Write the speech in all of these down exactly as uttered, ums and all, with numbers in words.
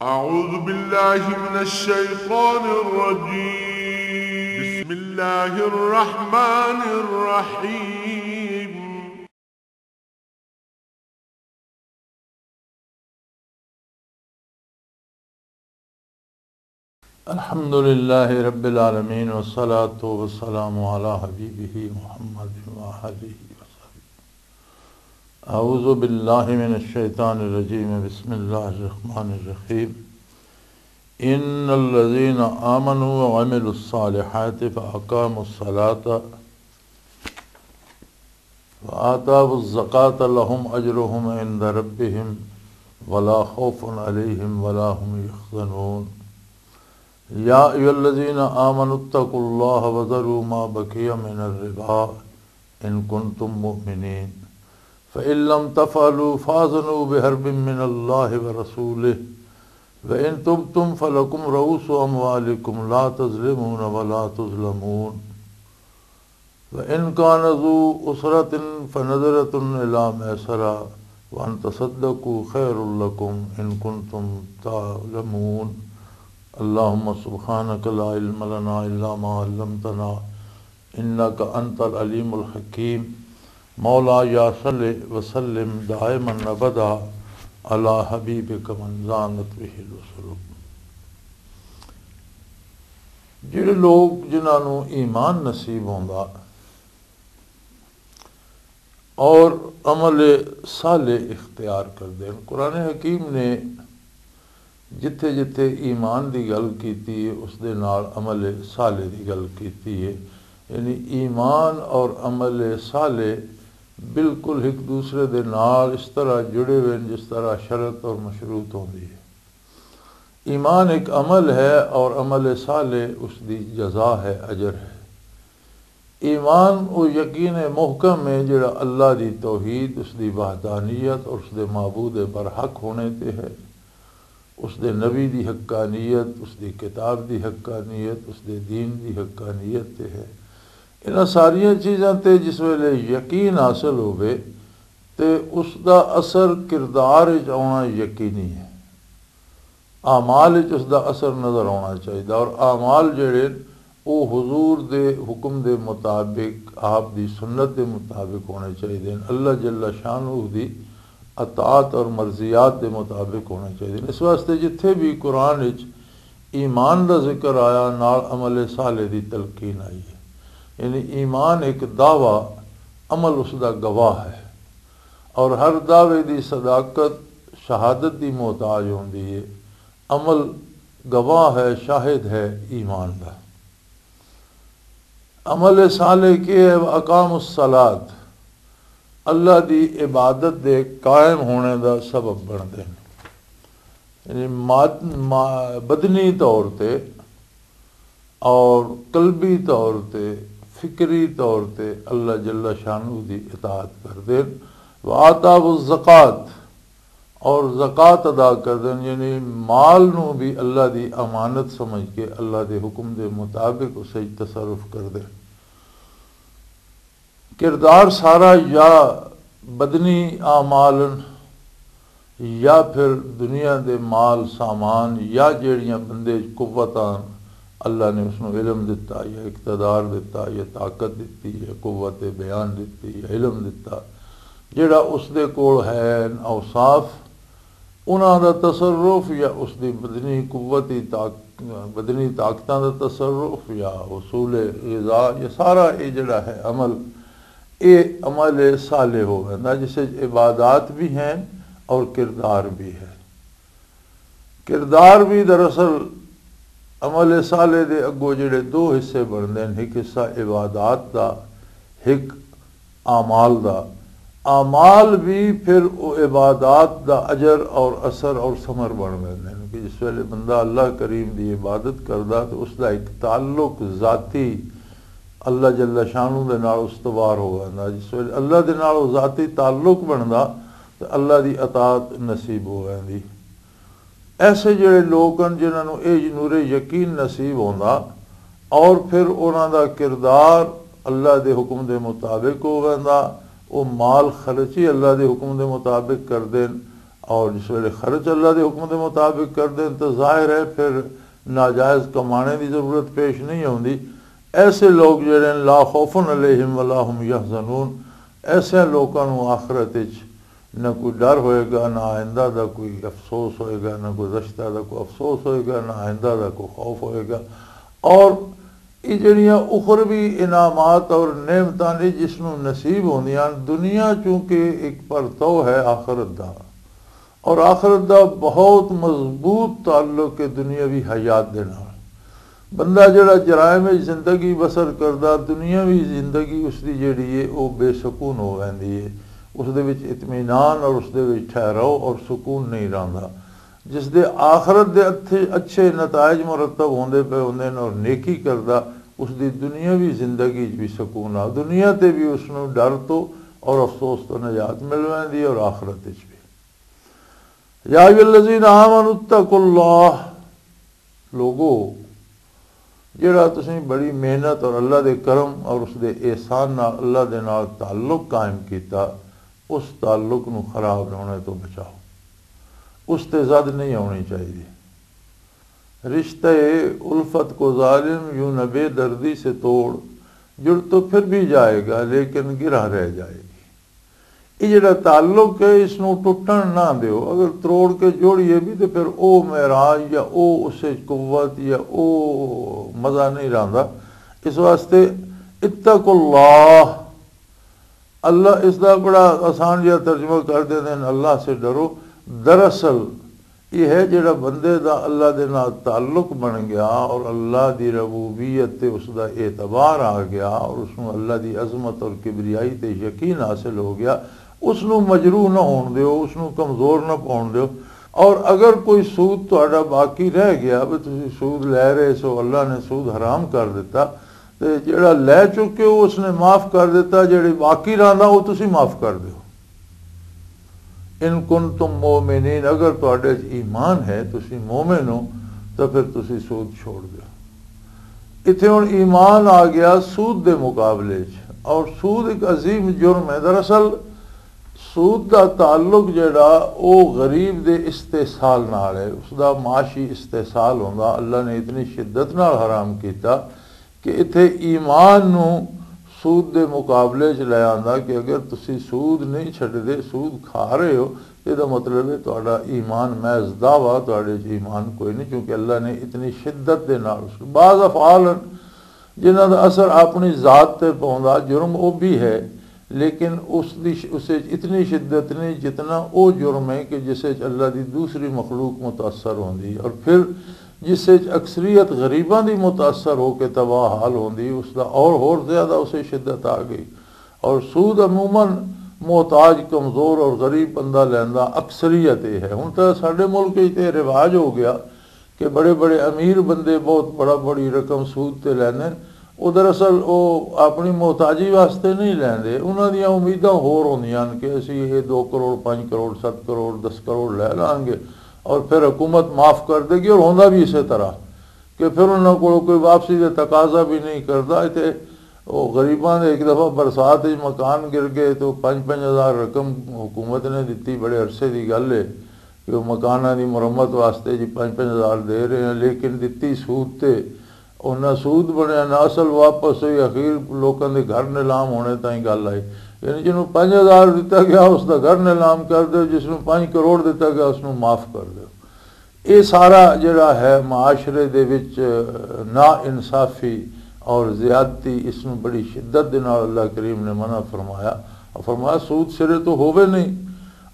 أعوذ بالله من الشيطان الرجيم. بسم الله الرحمن الرحيم. الحمد لله رب العالمين، والصلاة والسلام على حبيبه محمد وآله وصحبه. أعوذ بالله من الشيطان الرجيم. بسم الله الرحمن الرحيم. إن الذين آمنوا وعملوا الصالحات فأقاموا الصلاة وآتوا الزكاة لهم أجرهم عند ربهم ولا خوف عليهم ولا هم يحزنون. يا أيها الذين آمنوا اتقوا الله وذروا ما بقي من الربا إن كنتم مؤمنين. فإن لم تفعلوا فأذنوا بحرب من الله ورسوله، وإن تبتم فلكم رؤوس أموالكم لا تظلمون ولا تظلمون. وإن كان ذو عسرة فنظرة إلى ميسرة وأن تصدقوا خير لكم إن كنتم تعلمون. اللهم سبحانك لا علم لنا إلا ما علمتنا إنك أنت العليم الحكيم. مولاي صل وسلم دائما أبدا على حبيبك من زانت به الوصول. جڑے لوگ جنہاں نوں ایمان نصیب ہوندا اور عمل صالح اختیار کردے ہیں، قرآن حکیم نے جتھے جتھے ایمان دی گل کیتی ہے، اس دے نال عمل صالح دی گل کیتی ہے۔ یعنی ایمان اور عمل صالح بالکل ایک دوسرے دے نال اس طرح جڑے ہوئے ہیں جس طرح شرط اور مشروط ہوندی ہے۔ ایمان ایک عمل ہے اور عمل صالح اس دی جزا ہے، اجر ہے۔ ایمان او یقین محکم ہے جڑا اللہ دی توحید، اس دی وحدانیت اور اس دے معبود برحق ہونے تے ہے، اس دے نبی دی حقانیت، اس دی کتاب دی حقانیت، اس دے دین دی حقانیت تے ہے۔ انہاں ساریاں چیزاں تے جس ویلے یقین حاصل ہوے تے اس دا اثر کردار وچ آنا یقینی ہے، اعمال وچ اس دا اثر نظر آنا چاہیے۔ اور اعمال جڑے او حضور دے حکم دے مطابق، آپ دی سنت دے مطابق ہونے چاہیے، اللہ جل شانہ دی اطاعت اور مرضیات دے مطابق ہونے چاہیے۔ اس واسطے جتھے بھی قرآن وچ ایمان دا ذکر آیا، نال عمل صالح دی تلقین آئی ہے۔ یعنی ایمان ایک دعویٰ، عمل اس دا گواہ ہے، اور ہر دعوے دی صداقت شہادت دی محتاج ہوندی ہے۔ عمل گواہ ہے، شاہد ہے ایمان دا۔ عمل صالح کی ہے؟ اقام الصلاۃ، اللہ دی عبادت دے قائم ہونے دا سبب بندے ہیں۔ یعنی ماد-، ما-، بدنی طور تے اور قلبی طور تے، فکری طور تے اللہ جل شانہ دی اطاعت کردے۔ وآتاہ الزکات، اور زکات ادا کردے، یعنی مال نو بھی اللہ دی امانت سمجھ کے اللہ دے حکم دے مطابق اسے تصرف کردے۔ کردار سارا یا بدنی اعمال یا پھر دنیا دے مال سامان یا جیڑیاں بندے وچ قوتاں، اللہ نے اس نوں علم دتا یا اقتدار دتا یا طاقت دتی یا قوت بیان دتی یا علم دتا، جیڑا اس دے کول ہے اوصاف، انہاں دا تصرف یا اس دی بدنی قوتی طاق-، بدنی طاقتاں دا تصرف یا حصول غذا، یہ سارا یہ جڑا ہے عمل، یہ عمل صالح ہو ویندا، جس وچ عبادات بھی ہیں اور کردار بھی ہے۔ کردار بھی دراصل عمل صالح دے اگوں جڑے دو حصے بنتے ہیں، ایک حصہ عبادات دا، ایک اعمال دا۔ اعمال بھی پھر او عبادات دا اجر اور اثر اور ثمر بن ویندے ہیں کہ جس ویلے بندہ اللہ کریم دی عبادت کردا تو اس دا ایک تعلق ذاتی اللہ جل شانہ دے نال استوار ہو ویندا۔ جس ویلے اللہ دے نال او ذاتی تعلق بندا تو اللہ دی اطاعت نصیب ہو ویندی۔ ایسے جڑے لوگ ہیں جنہاں نوں اے نور یقین نصیب ہوندا اور پھر انہاں دا کردار اللہ دے حکم دے مطابق ہو ویندا، او مال خرچی اللہ دے حکم دے مطابق کر دین، اور جس ویلے خرچ اللہ دے حکم دے مطابق کر دین تو ظاہر ہے پھر ناجائز کمانے دی ضرورت پیش نہیں ہوندی۔ ایسے لوگ جڑے ہیں، لا خوف علیہم ولا هم يحزنون، ایسے لوکاں نوں آخرت وچ نہ کوئی ڈر ہوئے گا، نہ آئندہ دا کوئی افسوس ہوئے گا، نہ گزشتہ دا کوئی افسوس ہوئے گا، نہ آئندہ دا کوئی خوف ہوئے گا۔ اور یہ جڑیاں اخروی انعامات اور نعمتاں نے جس نوں نصیب ہوندیاں، دنیا چونکہ ایک پرتو ہے آخرت دا، اور آخرت دا بہت مضبوط تعلق ہے دنیاوی حیات دے نال۔ بندہ جڑا جرائم وچ زندگی بسر کردا، دنیاوی زندگی اس دی جڑی ہے، او بے سکون ہو ویندی ہے۔ اس دے وچ اطمینان اور اس دے وچ ٹھہراؤ اور سکون نہیں رہندا۔ جس دے آخرت دے اچھے، اچھے نتائج مرتب ہوندے پے ہوندے نے اور نیکی کردا، اس دی دنیاوی زندگی وچ بھی سکون آ، دنیا تے بھی اس نوں ڈر تو اور افسوس تو نجات مل ویندی ہے اور آخرت وچ بھی۔ یا ایھا الذین آمنوا اتقوا اللہ، لوگو، جڑا تسیں بڑی محنت اور اللہ دے کرم اور اس دے احسان نال، اللہ دے نال تعلق قائم کیتا، اس تعلق نو خراب ہونے تو بچاؤ، اس تے زد نہیں ہونی چاہیے۔ رشتہ الفت کو ظالم یوں نہ بے دردی سے توڑ، جڑ تو پھر بھی جائے گا لیکن گرہ رہ جائے گی۔ یہ جڑا تعلق ہے، اس نو ٹوٹن نہ دیو۔ اگر تروڑ کے جوڑیے بھی تو پھر او معراج یا او اس وچ قوت یا او مزہ نہیں رہندا۔ اس واسطے اتقوا اللہ، اللہ اس دا بڑا آسان جہا ترجمہ کر دیندے ہیں، اللہ سے ڈرو۔ دراصل یہ ہے جڑا بندے دا اللہ دے نال تعلق بن گیا اور اللہ دی ربوبیت تے اس دا اعتبار آ گیا اور اس نوں اللہ دی عظمت اور کبریائی تے یقین حاصل ہو گیا، اس نوں مجروح نہ ہون دیو، اس نوں کمزور نہ پاون دیو۔ اور اگر کوئی سود تہاڈا باقی رہ گیا، بھی تسی سود لے رہے سو، اللہ نے سود حرام کر دیتا، تے جڑا لے چکے ہو اس نے معاف کر دیتا، جڑے باقی رہندا وہ تسی معاف کر دیو۔ ان کنتم مؤمنین، اگر تہاڈے وچ ایمان ہے، تسی مومن ہو، تو پھر تسی سود چھوڑ دیو۔ اتھے ہن ایمان آ گیا سود دے مقابلے وچ، اور سود ایک عظیم جرم ہے۔ دراصل سود دا تعلق جڑا او غریب دے استحصال نال ہے، اس دا معاشی استحصال ہوندا، اللہ نے اتنی شدت نال حرام کیتا کہ اتھے ایمان نو سود دے مقابلے چ لے آندا کہ اگر تسی سود نہیں چھڈدے، سود کھا رہے ہو، تے دا مطلب ہے تہاڈا ایمان محض دعویٰ، تہاڈے چ ایمان کوئی نہیں، کیونکہ اللہ نے اتنی شدت دے نال اس، بعض افعال ہیں جنہاں دا اثر اپنی ذات تے پوندا، جرم او بھی ہے، لیکن اس دی ش-، اس وچ اتنی شدت نہیں جتنا او جرم ہے کہ جس وچ اللہ دی دوسری مخلوق متاثر ہوندی ہے، اور پھر جس وچ اکثریت غریباں دی متاثر ہو کے تباہ حال ہوندی، اس دا اور ہور زیادہ اسے شدت آ گئی۔ اور سود عموماً محتاج، کمزور اور غریب بندہ لیندا، اکثریت یہ ہے۔ ہن تاں ساڈے ملک وچ تے رواج ہو گیا کہ بڑے بڑے امیر بندے بہت بڑا بڑی رقم سود تے لیندے نے۔ او دراصل او اپنی محتاجی واسطے نہیں لیندے، انہاں دیاں امیداں ہور ہوندیاں ہن کہ اسی یہ دو کروڑ، پنج کروڑ، ست کروڑ، دس کروڑ لے لانگے اور پھر حکومت معاف کر دے گی، اور ہوندا بھی اسی طرح کہ پھر انہاں کول کوئی واپسی دے تقاضا بھی نہیں کردا۔ تے او غریباں دے ایک دفعہ برسات وچ مکان گر گئے تے او پنج پنج ہزار رقم حکومت نے دتی، بڑے عرصے دی گل ہے کہ او مکاناں دی مرمت واسطے جی پنج پنج ہزار دے رہے ہیں، لیکن دتی سود تے، او نہ سود بنیا نہ اصل واپس ہوئی، اخیر لوکاں دے گھر نیلام ہونے تائیں گل آئی۔ یعنی جنوں پنج ہزار دتا گیا اس دا گھر نیلام کر دے، جس نوں پنج کروڑ دتا گیا اس نوں معاف کر دے۔ یہ سارا جڑا ہے معاشرے دے وچ نا انصافی اور زیادتی، اس نوں بڑی شدت دے نال اللہ کریم نے منع فرمایا۔ اور فرمایا سود سرے تو ہووے نہیں،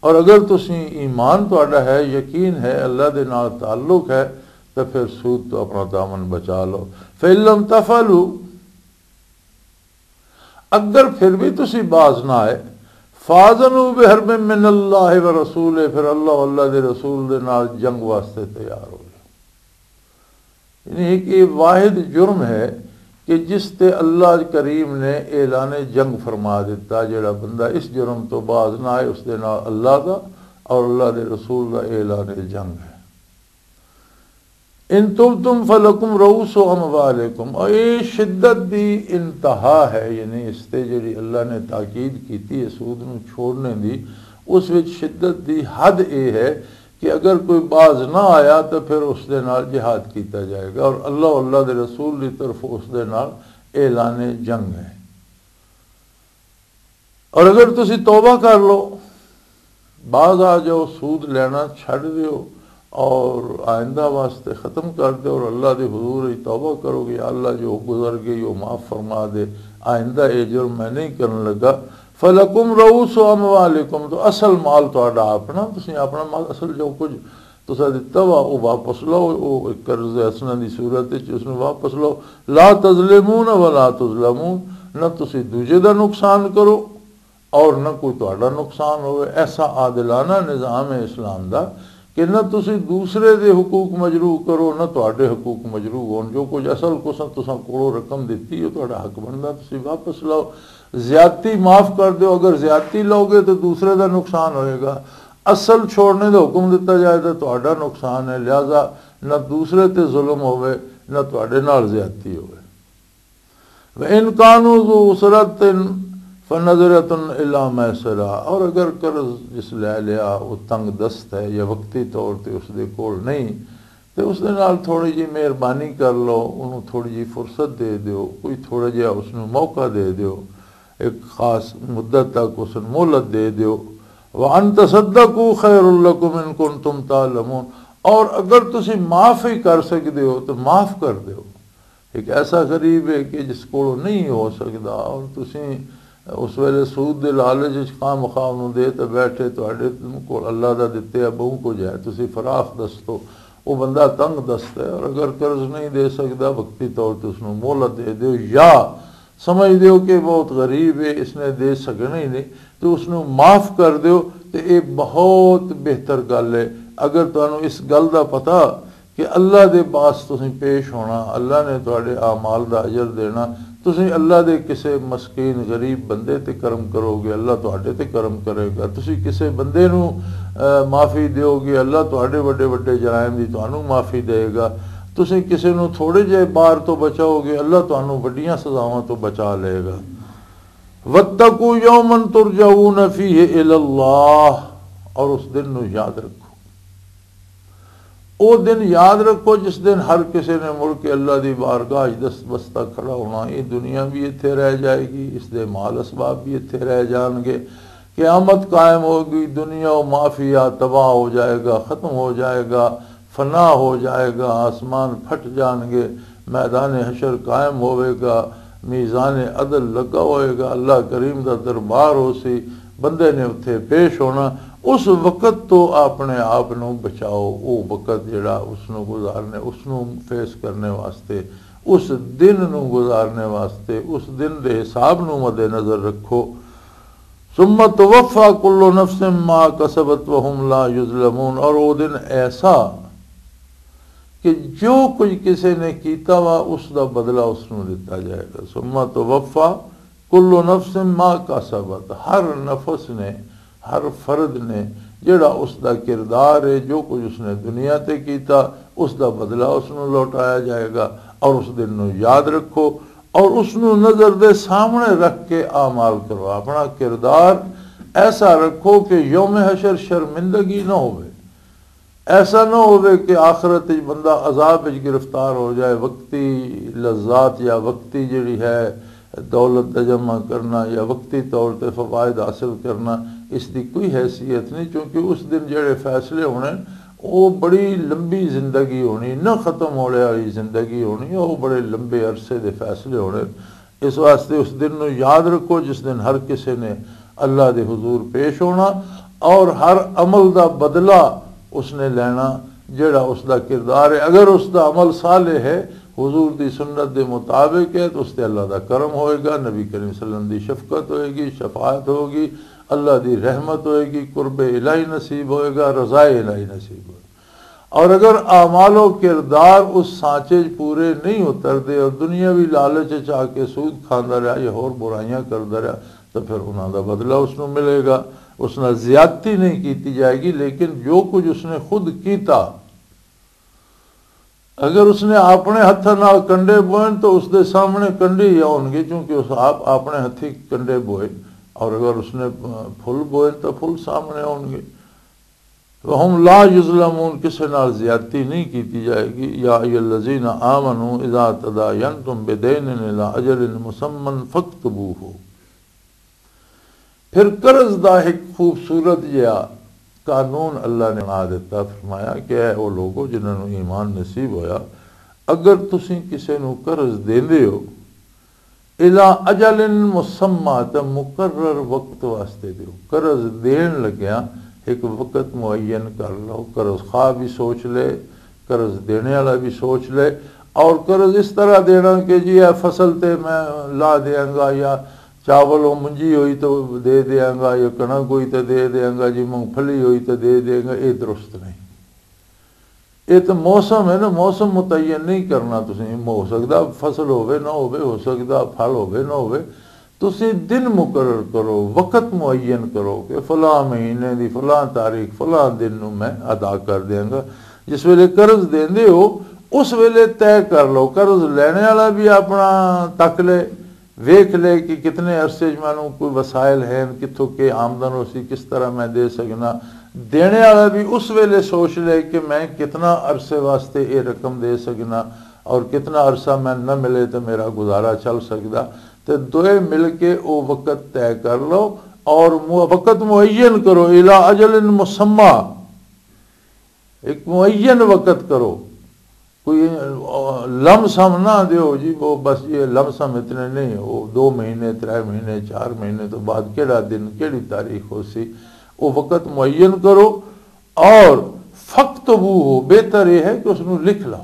اور اگر تسی ایمان تہاڈا ہے، یقین ہے، اللہ دے نال تعلق ہے، تو پھر سود تو اپنا دامن بچا لو۔ فَإِن لَّمْ تَفْعَلُوا، اگر پھر بھی تسی باز نہ آئے، فَأَذَنُوا بِحَرْبٍ مِّنَ اللَّهِ وَرَسُولِهِ، پھر اللہ، اللہ دے رسول دے نال جنگ واسطے تیار ہو جاؤ۔ یعنی ایک یہ واحد جرم ہے کہ جس تے اللہ کریم نے اعلان جنگ فرما دیتا، جڑا بندہ اس جرم تو باز نہ آئے، اس دے نال اللہ دا اور اللہ دے رسول دا اعلان جنگ ہے۔ ان تبتم فلکم رؤوس اموالکم، اور یہ شدت دی انتہا ہے، یعنی اس تے جڑی اللہ نے تاکید کیتی ہے سود نو چھوڑنے دی، اس وچ شدت دی حد اے ہے کہ اگر کوئی باز نہ آیا تو پھر اس دے نال جہاد کیتا جائے گا، اور اللہ، اللہ دے رسول دی طرف اس دے نال اعلان جنگ ہے۔ اور اگر تسی توبہ کر لو، باز آ جاؤ، سود لینا چھڈ دیو اور آئندہ واسطے ختم کر دیو، اور اللہ دے حضور وچ توبہ کرو گے، "یا اللہ، جو گزر گئی وہ معاف فرما دے، آئندہ اے جرم میں نہیں کرن لگا۔" فلکم رؤوس اموالکم، تو اصل مال تہاڈا اپنا، تسی اپنا مال، اصل جو کچھ تسا دتا وا، او واپس لو، او ایک قرض حسنہ دی صورت وچ اس نوں واپس لو۔ لا تظلمون ولا تظلمون، نہ تسی دوجے دا نقصان کرو اور نہ کوئی تہاڈا نقصان ہوئے۔ ایسا عادلانہ نظام ہے اسلام دا کہ نہ تسی دوسرے دے حقوق مجروح کرو، نہ تہاڈے حقوق مجروح ہون۔ جو کچھ اصل کساں تساں کولوں رقم دتی ہے، تہاڈا حق بندا، تسی واپس لو۔ زیادتی معاف کر دیو، اگر زیادتی لو گے تو دوسرے دا نقصان ہوئے گا۔ اصل چھوڑنے دا حکم دتا جائے تو تہاڈا نقصان ہے، لہذا نہ دوسرے تے ظلم ہوئے، نہ تہاڈے نال زیادتی ہوئے۔ وَإِن كَانُوا ذُو عُسْرَةٍ فَنَظِرَةٌ إِلَى مَيْسَرَةٍ، اور اگر قرض جس لے لیا وہ تنگ دست ہے یا وقتی طور تے اس دے کول نہیں، تے اس دے نال تھوڑی جی مہربانی کر لو، انہوں تھوڑی جی فرصت دے دیو، کوئی تھوڑا جہا اس نوں موقع دے دیو، ایک خاص مدت تک اس نوں مہلت دے دیو۔ وَأَن تَصَدَّقُوا خَيْرٌ لَّكُمْ إِن كُنتُمْ تَعْلَمُونَ، اور اگر تسی معاف ہی کر سکدے ہو تو معاف کر دیو۔ ایک ایسا غریب ہے کہ جس کولوں نہیں ہو سکدا، اور تسی اس ویلے سود دے لالچ وچ خواہ مخواہ نوں دے تے بیٹھے، تہاڈے کول اللہ دا دتے آ بہوں کچھ ہے، تسی فراخ دست ہو، وہ بندہ تنگ دست ہے، اور اگر قرض نہیں دے سکدا، وقتی طور تے اس نوں مہلت دے دیو، یا سمجھ دیو کہ بہت غریب ہے، اس نے دے سکنا ہی نہیں، تو اس نوں معاف کر دیو، تے اے بہت بہتر گل ہے۔ اگر تانوں اس گل دا پتہ کہ اللہ دے پاس تسیں پیش ہونا، اللہ نے تہاڈے اعمال دا اجر دینا، تسیں اللہ دے کسے مسکین غریب بندے تے کرم کرو گے، اللہ تہاڈے تے کرم کرے گا۔ تسیں کسے بندے نوں، اے، معافی دیو گے، اللہ تہاڈے وڈے وڈے جرائم دی تانوں معافی دے گا۔ تسیں کسے نوں تھوڑے جے بار تو بچاؤ گے، اللہ تانوں وڈیاں سزاواں تو بچا لے گا۔ وَاتَّقُوا يَوْمًا تُرْجَعُونَ فِيهِ إِلَى اللَّهِ، اور اس دن نو یاد رکھو۔ او دن یاد رکھو جس دن ہر کسے نے مڑ کے اللہ دی بارگاہ وچ دست بستہ کھڑا ہونا۔ یہ دنیا بھی ایتھے رہ جائے گی، اس دے مال اسباب بھی ایتھے رہ جان گے۔ قیامت قائم ہوگی، دنیا و مافیا تباہ ہو جائے گا، ختم ہو جائے گا، فنا ہو جائے گا، آسمان پھٹ جان گے، میدان حشر قائم ہوئے گا، میزان عدل لگا ہوئے گا، اللہ کریم دا دربار ہو سی، بندے نے اتھے پیش ہونا۔ اس وقت تو اپنے آپ نو بچاؤ، او وقت جڑا اس نو گزارنے، اس نو فیس کرنے واسطے، اس دن نو گزارنے واسطے، اس دن دے حساب نو مد نظر رکھو۔ ثم توفى كل نفس ما كسبت وهم لا يظلمون، اور وہ دن ایسا کہ جو کچھ کسے نے کیتا وا، اس دا بدلہ اس نوں دتا جائے گا۔ ثم توفى كل نفس ما كسبت، ہر نفس نے، ہر فرد نے، جڑا اس دا کردار ہے، جو کچھ اس نے دنیا تے کیتا، اس دا بدلہ اس نوں لوٹایا جائے گا۔ اور اس دن نوں یاد رکھو، اور اس نوں نظر دے سامنے رکھ کے اعمال کرو۔ اپنا کردار ایسا رکھو کہ یوم حشر شرمندگی نہ ہوئے۔ ایسا نہ ہوئے کہ آخرت وچ بندہ عذاب وچ گرفتار ہو جائے، وقتی لذات یا وقتی جڑی ہے دولت دا جمع کرنا یا وقتی طور تے فوائد حاصل کرنا، اس دی کوئی حیثیت نہیں، کیونکہ اس دن جڑے فیصلے ہونے، وہ بڑی لمبی زندگی ہونی، نہ ختم ہونے والی زندگی ہونی، وہ بڑے لمبے عرصے دے فیصلے ہونے۔ اس واسطے اس دن نو یاد رکھو جس دن ہر کسے نے اللہ دے حضور پیش ہونا اور ہر عمل دا بدلہ اس نے لینا جڑا اس دا کردار ہے۔ اگر اس دا عمل صالح ہے، حضور دی سنت دے مطابق ہے، تو اس تے اللہ دا کرم ہوئے گا، نبی کریم صلی اللہ علیہ وسلم دی شفقت ہوئے گی، شفاعت ہوگی، اللہ دی رحمت ہوئے گی، قرب الہی نصیب ہوئے گا، رضا الہی نصیب ہوئے گا۔ اور اگر اعمال و کردار اس سانچے چ پورے نہیں اتردے اور دنیاوی لالچ چ آ کے سود کھاندا رہا یا ہور برائیاں کردا رہا، تو پھر انہاں دا بدلہ اس نوں ملے گا۔ اس نال زیادتی نہیں کیتی جائے گی، لیکن جو کچھ اس نے خود کیتا، اگر اس نے اپنے ہتھاں نال کنڈے بوئے تو اس دے سامنے کنڈے ہی آؤن گے، کیونکہ اس آپ اپنے ہتھی کنڈے بوئے۔ اور اگر اس نے پھل بوئے تو پھل سامنے ہون گے۔ وَهُمْ لَا يُظْلَمُونَ، کسے نال زیادتی نہیں کیتی جائے گی۔ يَا أَيُّهَا الَّذِينَ آمَنُوا إِذَا تَدَايَنْتُمْ بِدَيْنٍ إِلَىٰ أَجَلٍ مُّسَمًّى فَاكْتُبُوهُ۔ پھر قرض دا ایک خوبصورت جہا قانون اللہ نے بنا دیتا، فرمایا کہ اے او لوگو جنہاں نوں ایمان نصیب ہویا، اگر تسی کسے نوں قرض دیندے ہو، الا اجل مسمی، تے مقرر وقت واسطے دیو۔ قرض دین لگیا ایک وقت معین کر لو۔ قرض خواہ بھی سوچ لے، قرض دینے والا بھی سوچ لے، اور قرض اس طرح دینا کہ جی اے فصل تے میں لا دیاں گا، یا چاول او منجی ہوئی تو دے دیاں گا، یا کنک ہوئی تو دے دیاں گا، جی مونگ پھلی ہوئی تو دے دیاں گا، اے درست نہیں۔ یہ تو موسم ہے نا، موسم متعین نہیں کرنا۔ تسی، ہو سکدا فصل ہوے نہ ہوے، ہو سکدا پھل ہوے نہ ہوے۔ تسی دن مقرر کرو، وقت معین کرو کہ فلاں مہینے دی فلاں تاریخ، فلاں دن نوں میں ادا کر دیاں گا۔ جس ویلے قرض دیندے ہو، اس ویلے طے کر لو۔ قرض لینے والا بھی اپنا تک لے، ویکھ لے کہ کتنے عرصے 'چ مینوں کوئی وسائل ہیں، کتھوں کے آمدن ہو سی، کس طرح میں دے سکنا۔ دینے والا بھی اس ویلے سوچ لے کہ میں کتنا عرصے واسطے یہ رقم دے سکنا اور کتنا عرصہ میں نہ ملے تو میرا گزارا چل سکدا۔ تے دوئے مل کے او وقت طے کر لو اور مو-، وقت معین کرو، الا اجل مسمی، ایک معین وقت کرو۔ کوئی، آ، لم سم نہ دیو جی، وہ بس یہ لم سم اتنے نہیں، وہ دو مہینے، ترے مہینے، چار مہینے تو بعد کیڑا دن، کیڑی تاریخ ہو سی، وہ وقت معین کرو۔ اور فَاكْتُبُوهُ، بہتر یہ ہے کہ اس نوں لکھ لو۔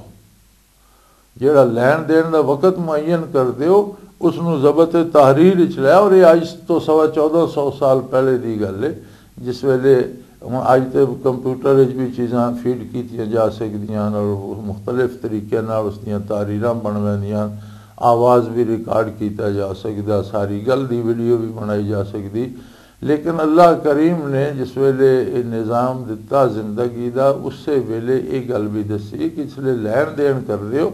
جیڑا لین دین دا وقت معین کر دیو، اس نوں ضبط تحریر وچ لے۔ اور یہ اج تو سوا چودہ سو سال پہلے دی گل ہے، جس ویلے، ہن اج تے کمپیوٹر وچ بھی چیزاں فیڈ کیتیاں جا سکدیاں ہن اور مختلف طریقے نال اس دیاں تحریراں بن ویندیاں ہن، آواز بھی ریکارڈ کیتا جا سکدا، ساری گل دی ویڈیو بھی بنائی جا سکدی۔ لیکن اللہ کریم نے جس ویلے یہ نظام دتا زندگی دا، اسے ویلے یہ گل بھی دسی کہ اس لیے لین دین کر دیو،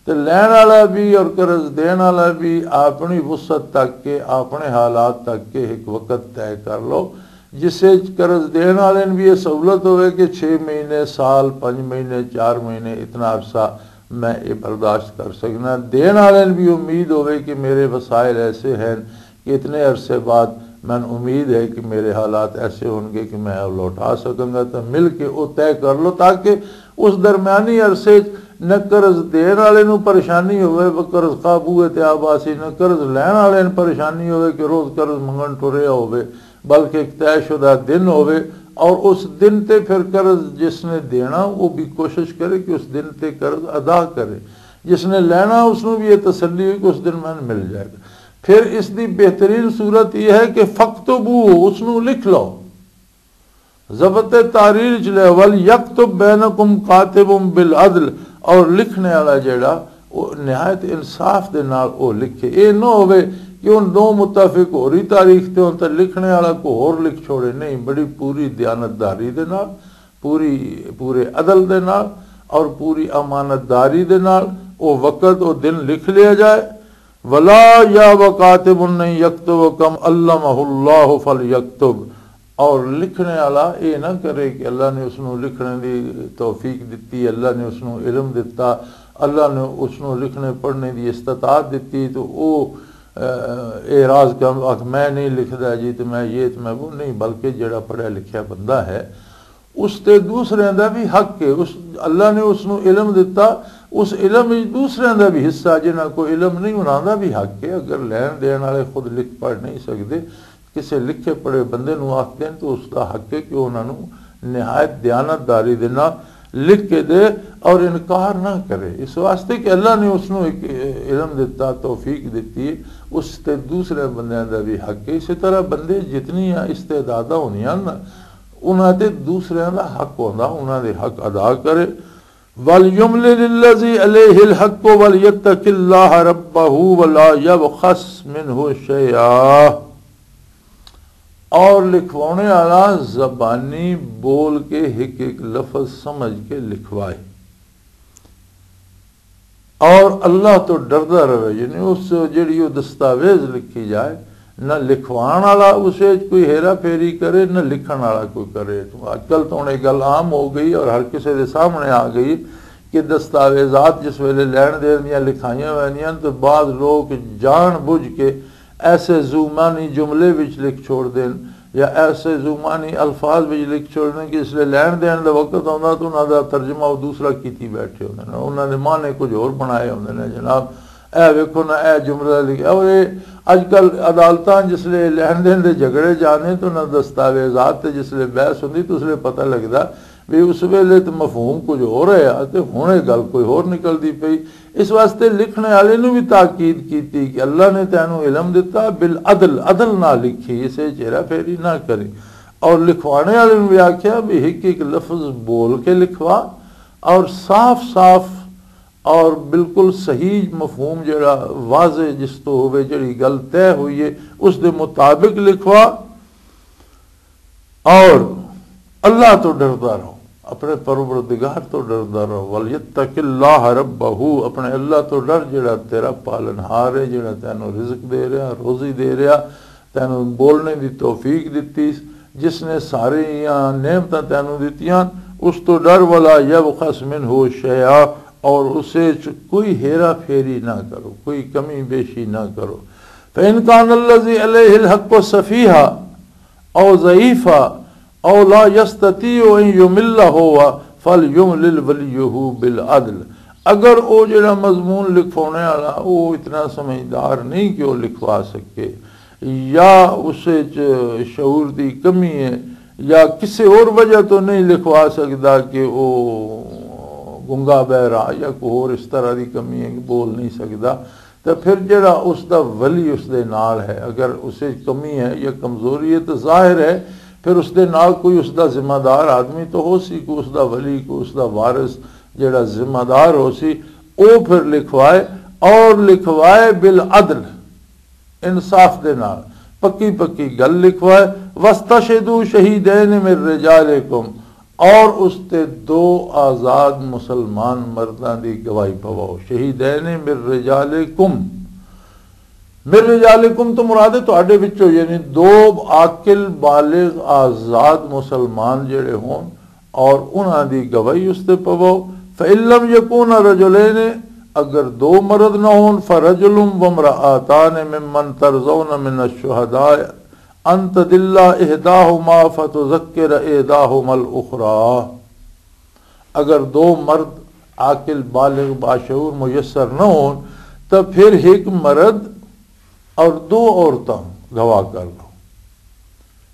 تے لین والا بھی اور قرض دین والا بھی اپنی وسعت تک کے، اپنے حالات تک کے ایک وقت طے کر لو، جس سے قرض دین والے نوں بھی یہ سہولت ہوئے کہ چھ مہینے، سال، پنج مہینے، چار مہینے، اتنا عرصہ میں یہ برداشت کر سکنا۔ دین والے نوں بھی امید ہوئے کہ میرے وسائل ایسے ہیں کہ اتنے عرصے بعد میں امید ہے کہ میرے حالات ایسے ہون گے کہ میں لوٹا سکاں گا۔ تو مل کے وہ طے کر لو، تاکہ اس درمیانی عرصے 'چ نہ قرض دین والے نوں پریشانی ہوئے، وہ قرض قابو تے آباسی، نہ قرض لین والے نوں پریشانی ہوئے کہ روز قرض منگن ٹریا ہوئے، بلکہ ایک طے شدہ دن ہوئے، اور اس دن تے پھر قرض جس نے دینا، وہ بھی کوشش کرے کہ اس دن تے قرض ادا کرے، جس نے لینا، اس نوں بھی یہ تسلی ہوئی کہ اس دن میں مل جائے گا۔ پھر اس دی بہترین صورت یہ ہے کہ فَاكْتُبُوهُ، اس نوں لکھ لو۔ ضبط تحریر چ لے، وَلْيَكْتُبْ بَيْنَكُمْ كَاتِبٌ بِالْعَدْلِ، اور لکھنے والا جڑا، وہ نہایت انصاف دے نال وہ لکھے۔ اے نہ ہوے کہ ان دو متفق ہو رہی تاریخ تے ہون تے لکھنے والا کو ہور لکھ چھوڑے۔ نہیں، بڑی پوری دیانتداری دے نال، پوری، پورے عدل دے نال اور پوری امانت داری دے نال وہ وقت، وہ دن لکھ لیا جائے۔ ولا یا وکاتب نہیں یکتب کم علمہ اللہ فلیکتب۔ اور لکھنے والا یہ نہ کرے کہ اللہ نے اس نوں لکھنے دی توفیق دتی، اللہ نے اس نوں علم دتا، اللہ نے اس نوں لکھنے پڑھنے دی استطاعت دتی، تو او، اے، اعراض کر، آکھ، "میں نہیں لکھدا جی، تے میں یہ تے میں وہ نہیں"، بلکہ جڑا پڑھیا لکھیا بندہ ہے، اس تے دوسرے دا بھی حق ہے۔ اس، اللہ نے اس نوں علم دتا، اس علم وچ دوسرے دا بھی حصہ، جنہاں کو علم نہیں، انہاں دا بھی حق ہے۔ اگر لین دین والے خود لکھ پڑھ نہیں سکدے، کسے لکھے پڑھے بندے نوں آکھ دین تو اس دا حق ہے کہ انہاں نوں نہایت دیانت داری دے نال لکھ کے دے اور انکار نہ کرے، اس واسطے کہ اللہ نے اس نوں ایک علم دتا، توفیق دتی ہے، اس تے دوسرے بندیاں دا بھی حق ہے۔ اسی طرح بندے جتنی استعداداں ہوندیاں نا، انہاں تے دوسرے دا حق ہوندا، انہاں دے حق ادا کرے۔ وَلْيُمْلِلِ الَّذِي عَلَيْهِ الْحَقُّ وَلْيَتَّقِ اللَّهَ رَبَّهُ وَلَا يَبْخَسْ مِنْهُ شَيْئًا۔ اور لکھوانے والا زبانی بول کے ایک ایک لفظ سمجھ کے لکھوائے اور اللہ تو ڈردا رہے، یعنی اس جڑی وہ دستاویز لکھی جائے، نہ لکھوان والا اس وچ کوئی ہیرا پھیری کرے، نہ لکھن والا کوئی کرے۔ تو اج کل تو ہن یہ گل عام ہو گئی اور ہر کسے دے سامنے آ گئی کہ دستاویزات جس ویلے لین دین دیاں لکھائیاں ویندیاں تو بعض لوگ جان بوجھ کے ایسے زومانی جملے وچ لکھ چھوڑ دین یا ایسے زومانی الفاظ وچ لکھ چھوڑ دین کہ اس لئے لین دین دا وقت آندا تو انہاں دا ترجمہ وہ دوسرا کیتی بیٹھے ہوندے نے، انہاں نے معنی کچھ ہور بنائے ہوندے نے جناب۔ اے ویکھو نا، اے جملہ لکھیا۔ اور اے اج کل عدالتاں جس لے لین دین دے جھگڑے جانے تو نہ دستاویزات تے جس لے بحث ہوندی تو اس لے پتہ لگدا بھی اس ویلے تے مفہوم کچھ ہو رہا ہے تے ہن اے گل کوئی ہور نکلدی پئی۔ اس واسطے لکھنے والے نو بھی تاکید کیتی کہ اللہ نے تینوں علم دتا، بالعدل، عدل نہ لکھی، اسے چہرہ پھیری نہ کری۔ اور لکھوانے والے نو بھی آکھیا بھی ایک ایک لفظ بول کے لکھوا اور صاف صاف اور بالکل صحیح مفہوم جڑا واضح جس تو ہوئے، جڑی گل طے ہوئی ہے، اس دے مطابق لکھوا۔ اور اللہ تو ڈردا رہو، اپنے پروردگار تو ڈردا رہو۔ وَلْيَتَّقِ اللَّهَ رَبَّهُ، اپنے اللہ تو ڈر، جڑا تیرا پالنہار ہے، جڑا تینوں رزق دے رہا، روزی دے رہا، تینوں بولنے دی توفیق دتی، جس نے ساری نعمتاں تینوں دتیاں، اس تو ڈر۔ وَلَا يَبْخَسْ مِنْهُ شَيْئًا، اور اسے چ کوئی ہیرا پھیری نہ کرو، کوئی کمی بیشی نہ کرو۔ فَإِنْ كَانَ الَّذِي عَلَيْهِ الْحَقُّ سَفِيهًا أَوْ ضَعِيفًا أَوْ لَا يَسْتَطِيعُ أَنْ يُمِلَّ هُوَ فَلْيُمْلِلْ وَلِيُّهُ بِالْعَدْلِ۔ اگر او جڑا مضمون لکھوانے والا او اتنا سمجھدار نہیں کہ او لکھوا سکے، یا اس وچ شعور دی کمی ہے، یا کسی اور وجہ تو نہیں لکھوا سکدا کہ او گنگا بہرا یا کوئی اور اس طرح دی کمی ہے کہ بول نہیں سکدا، تے پھر جڑا اس دا ولی اس دے نال ہے، اگر اس وچ کمی ہے یا کمزوری ہے تو ظاہر ہے پھر اس دے نال کوئی اس دا ذمہ دار آدمی تو ہو سی، کوئی اس دا ولی، کوئی اس دا وارث جڑا ذمہ دار ہو سی، او پھر لکھوائے، اور لکھوائے بالعدل، انصاف دے نال، پکی پکی گل لکھوائے۔ وَاسْتَشْهِدُوا شَهِيدَيْنِ مِنْ رِجَالِكُمْ، اور اس تے دو آزاد مسلمان مرداں دی گواہی پواؤ۔ شہیدین من رجالکم، من رجالکم تو مراد ہے تہاڈے وچوں، یعنی دو عاقل بالغ آزاد مسلمان جڑے ہون اور انہاں دی گواہی اس تے پواؤ۔ فَإِن لَّمْ يَكُونَا رَجُلَيْنِ، اگر دو مرد نہ ہون، فَرَجُلٌ وَامْرَأَتَانِ مِمَّنْ تَرْضَوْنَ مِنَ الشُّهَدَاءِ أَن تَضِلَّ إِحْدَاهُمَا فَتُذَكِّرَ إِحْدَاهُمَا الْأُخْرَىٰ۔ اگر دو مرد عاقل، بالغ، باشعور، میسر نہ ہون، تو پھر ایک مرد اور دو عورتاں گواہ کر لو۔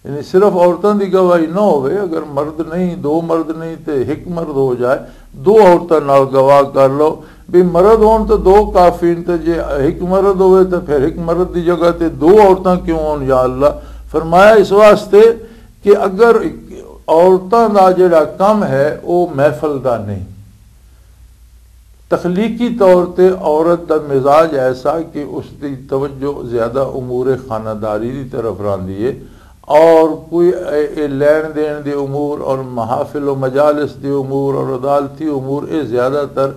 یعنی صرف عورتاں دی گواہی نہ ہوئے، اگر مرد نہیں، دو مرد نہیں تے ایک مرد ہو جائے، دو عورتاں نال گواہ کر لو۔ بھی مرد ہون تو دو کافی نے، تے جے ایک مرد ہوئے تو پھر ایک مرد دی جگہ تے دو عورتاں کیوں ہون یا اللہ؟ فرمایا اس واسطے کہ اگر عورتاں دا جڑا کم ہے وہ محفل دا نہیں، تخلیقی طور تے عورت دا مزاج ایسا کہ اس دی توجہ زیادہ امور خانہ داری دی طرف راندی ہے، اور کوئی اے، اے لین دین دے امور اور محافل و مجالس دے امور اور عدالتی امور اے زیادہ تر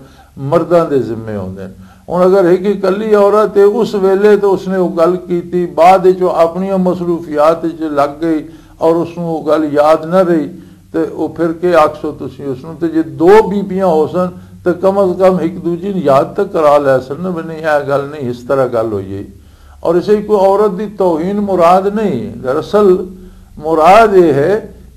مرداں دے ذمے ہوندے نے۔ ہن اگر ایک اکلی عورت ہے، اس ویلے تو اس نے وہ گل کیتی، بعد وچ وہ اپنیاں مصروفیات وچ لگ گئی اور اس نوں وہ گل یاد نہ رہی، تے او پھر کے آکھسو تسی اس نوں؟ تے جے دو بیبیاں ہو سن تے کم از کم ایک دوجی نوں یاد تے کرا لے سن نا، بھی نہیں، اے گل نہیں، اس طرح گل ہوئی ہے۔ اور اسے کوئی عورت دی توہین مراد نہیں، دراصل مراد یہ ہے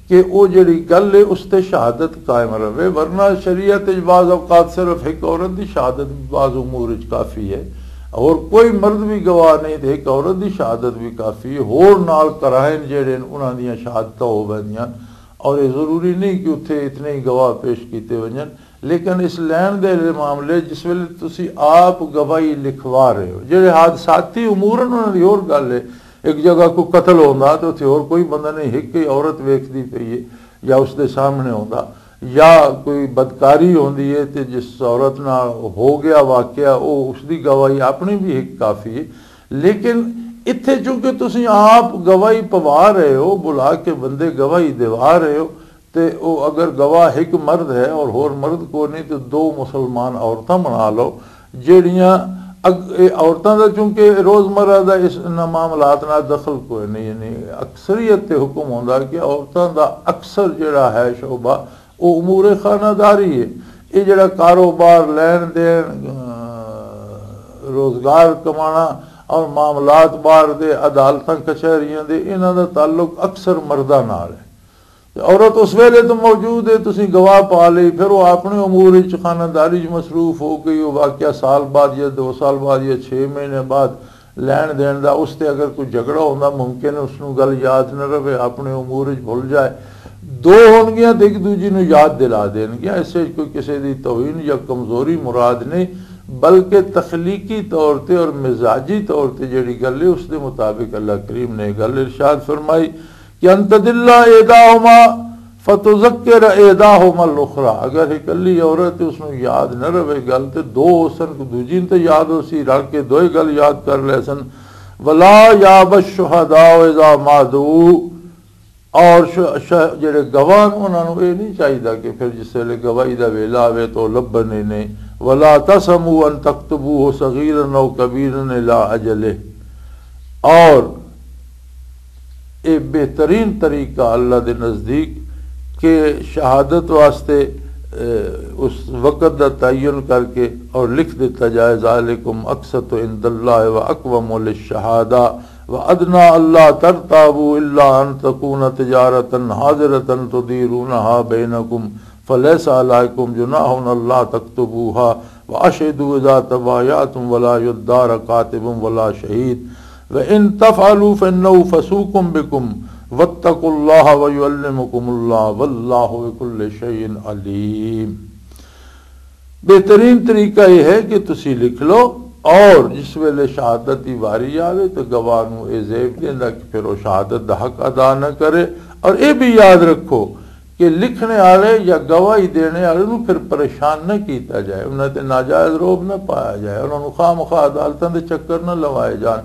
کہ او جڑی گل ہے اس تے شہادت قائم رہے، ورنہ شریعت وچ بعض اوقات صرف ایک عورت دی شہادت بھی بعض امور وچ کافی ہے، اور کوئی مرد بھی گواہ نہیں تے ایک عورت دی شہادت بھی کافی ہے، ہور نال قرائن جڑے نے انہاں دیاں شہادتاں ہو ویندیاں۔ اور یہ ضروری نہیں کہ اتھے اتنے ہی گواہ پیش کیتے ونجن، لیکن اس لین دے معاملے جس ویلے تسی آپ گواہی لکھوا رہے ہو، جڑے حادثاتی امور ہیں، انہاں دی ہور گل ہے۔ ایک جگہ کوئی قتل ہوندا تے اتھے ہور کوئی بندہ نہیں، ایک ہی عورت ویکھدی پئی ہے یا اس دے سامنے ہوندا، یا کوئی بدکاری ہوندی ہے تے جس عورت نال ہو گیا واقعہ، او اس دی گواہی اپنی بھی ایک کافی ہے۔ لیکن اتھے چونکہ تسی آپ گواہی پوا رہے ہو، بلا کے بندے گواہی دیوا رہے ہو، تے او اگر گواہ ایک مرد ہے اور ہور مرد کو نہیں، تو دو مسلمان عورتاں بنا لو، جڑیاں اگ-، اے عورتاں دا چونکہ روزمرہ دا اس انہاں معاملات نال دخل کوئی نہیں، یعنی اکثریت تے حکم ہوندا کہ عورتاں دا اکثر جڑا ہے شعبہ، او امور خانہ داری ہے۔ یہ جڑا کاروبار، لین دین، آ، روزگار کمانا اور معاملات باہر دے، عدالتاں کچہریاں دے، انہاں دا تعلق اکثر مرداں نال ہے۔ تے عورت اس ویلے تو موجود ہے، تسی گواہ پا لئی، پھر وہ اپنے امور وچ، خانہ داری وچ مصروف ہو گئی، وہ واقعہ سال بعد یا دو سال بعد یا چھ مہینے بعد لین دین دا، اس تے اگر کوئی جھگڑا ہوندا، ممکن ہے اس نوں گل یاد نہ رہے، اپنے امور وچ بھول جائے۔ دو ہونگیاں تے ایک دوجی نوں یاد دلا دین گیاں۔ اس وچ کوئی کسے دی توہین یا کمزوری مراد نہیں، بلکہ تخلیقی طور تے اور مزاجی طور تے جڑی گل ہے، اس دے مطابق اللہ کریم نے گل ارشاد فرمائی کہ ان تدل احداہما فتذکر احداہما الاخری۔ اگر ایک کلی عورت اس نوں یاد نہ رہے گل، تے دو اس نوں دوجی نوں تے یاد ہو سی، رل کے دوئے گل یاد کر لے سن۔ ولا یاب الشہداء اذا ما دعوا، اور ش-، ش-، جڑے گواہ نے، انہاں نوں یہ نہیں چاہیدا کہ پھر جس ویلے گواہی دا ویلا آوے تو لبھن ہی نہیں۔ ولا تسموا ان تكتبوه صغيرا او كبيرا الى اجله۔ اور یہ بہترین طریقہ اللہ دے نزدیک کہ شہادت واسطے، اے، اس وقت دا تعین کر کے اور لکھ دیتا جائے، ذالکم اقسط عند اللہ و اقوم للشہادہ و ادنی اللہ ترتابوا الا ان تکون تجارتا حاضرتا تدیرونہا بینکم فلیس علیکم جناح اللہ تکتبوہا وأشهدوا إذا تبايعتم ولا يضار كاتب ولا شهيد وإن تفعلوا فإنه فسوق بكم واتقوا الله ويعلمكم الله والله بكل شيء عليم۔ بہترین طریقہ یہ ہے کہ تسی لکھ لو، اور جس ویلے شہادت دی واری آوے تو گواہ نوں اے زیب دیندا کہ پھر وہ شہادت دا حق ادا نہ کرے۔ اور اے بھی یاد رکھو کہ لکھنے والے یا گواہی دینے والے نوں پھر پریشان نہ کیتا جائے، انہاں تے ناجائز روب نہ پایا جائے، انہاں نوں خواہ مخواہ عدالتاں دے چکر نہ لوائے جان،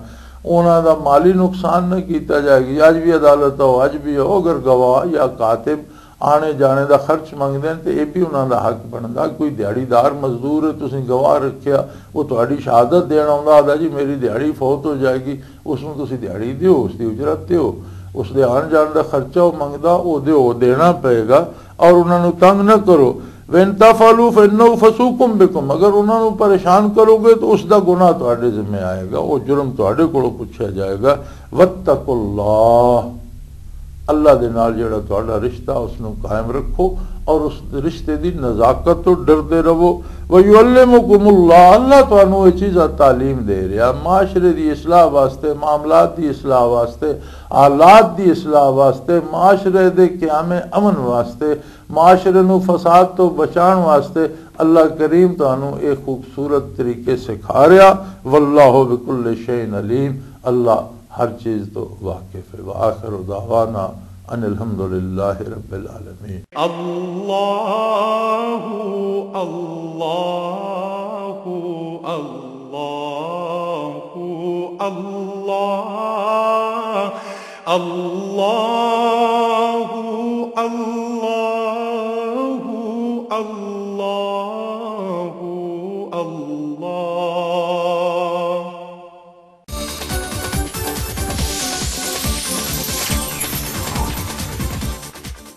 انہاں دا مالی نقصان نہ کیتا جائے کہ اج بھی عدالت ہو، اج بھی ہو، اگر گواہ یا کاتب آنے جانے دا خرچ منگدے ہیں تے اے بھی انہاں دا حق بندا۔ کوئی دیہڑی دار مزدور ہے، تسیں گواہ رکھیا، وہ تہاڈی شہادت دین آوندا، آہدا جی میری دیہڑی فوت ہو جائے گی، اس نوں تسی دیہڑی دیو، اس دی اجرت دیو، اس دے آن جان دا خرچہ او منگدا، او دیو، او دینا پئے گا۔ اور انہاں نوں تنگ نہ کرو۔ وَإِن تَفْعَلُوا فَإِنَّهُ فُسُوقٌ بِكُمْ، اگر انہاں نوں پریشان کرو گے تو اس دا گناہ تہاڈے ذمے آئے گا، او جرم تہاڈے کولوں پوچھا جائے گا۔ وَاتَّقُوا اللَّهَ، اللہ دے نال جڑا تہاڈا رشتہ، اس نوں قائم رکھو اور اس رشتے دی نزاکت تو ڈردے رہو۔ وَيُعَلِّمُكُمُ اللَّهُ، اللہ تانوں یہ چیزاں تعلیم دے رہا، معاشرے دی اصلاح واسطے، معاملات دی اصلاح واسطے، حالات دی اصلاح واسطے، معاشرے دے قیام امن واسطے، معاشرے نوں فساد تو بچان واسطے اللہ کریم تانوں ایک خوبصورت طریقے سکھا رہا۔ واللہ بکل شیء علیم، اللہ ہر چیز تو واقف ہے۔ وآخر دعوانا ان الحمد للہ رب العالمین۔ اللہ، اللہ، اللہ، اللہ، اللہ، اللہ، اللہ۔